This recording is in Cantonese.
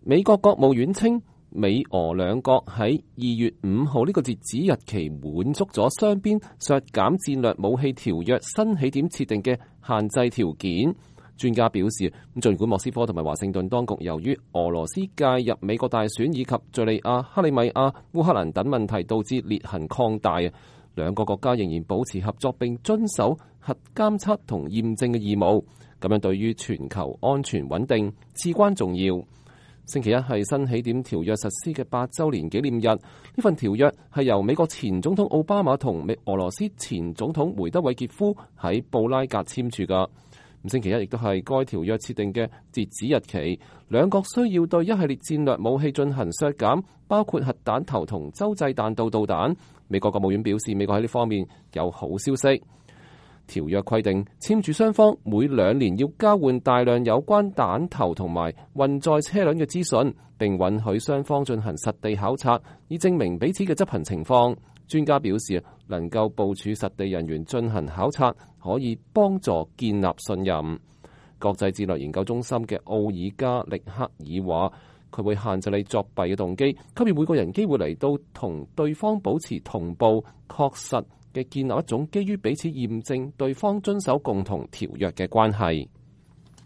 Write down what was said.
美國國務院稱，美俄兩國喺2月5號呢個截止日期滿足咗雙邊削減戰略武器條約新起點設定嘅限制條件。專家表示，儘管莫斯科同埋華盛頓當局由於俄羅斯介入美國大選以及敘利亞、克里米亞、烏克蘭等問題導致裂痕擴大，兩個國家仍然保持合作並遵守核監測同驗證嘅義務，咁樣對於全球安全穩定至關重要。星期一係新起點條約實施嘅8週年紀念日，呢份條約係由美國前總統奧巴馬同俄羅斯前總統梅德韋傑夫喺布拉格簽署㗎。星期一亦都係該條約設定嘅截止日期，兩國需要對一系列戰略武器進行削減，包括核彈頭同洲際彈道導彈。美國國務院表示，美國喺呢方面有好消息。條約規定，簽署雙方每2年要交換大量有關彈頭同埋運載車輛嘅資訊，並允許雙方進行實地考察，以證明彼此嘅執行情況。專家表示，能夠部署實地人員進行考察，可以幫助建立信任。國際戰略研究中心嘅奧爾加力克爾話，佢會限制你作弊嘅動機，給予每個人機會嚟到同對方保持同步、確實嘅建立一種基於彼此驗證對方遵守共同條約嘅關係。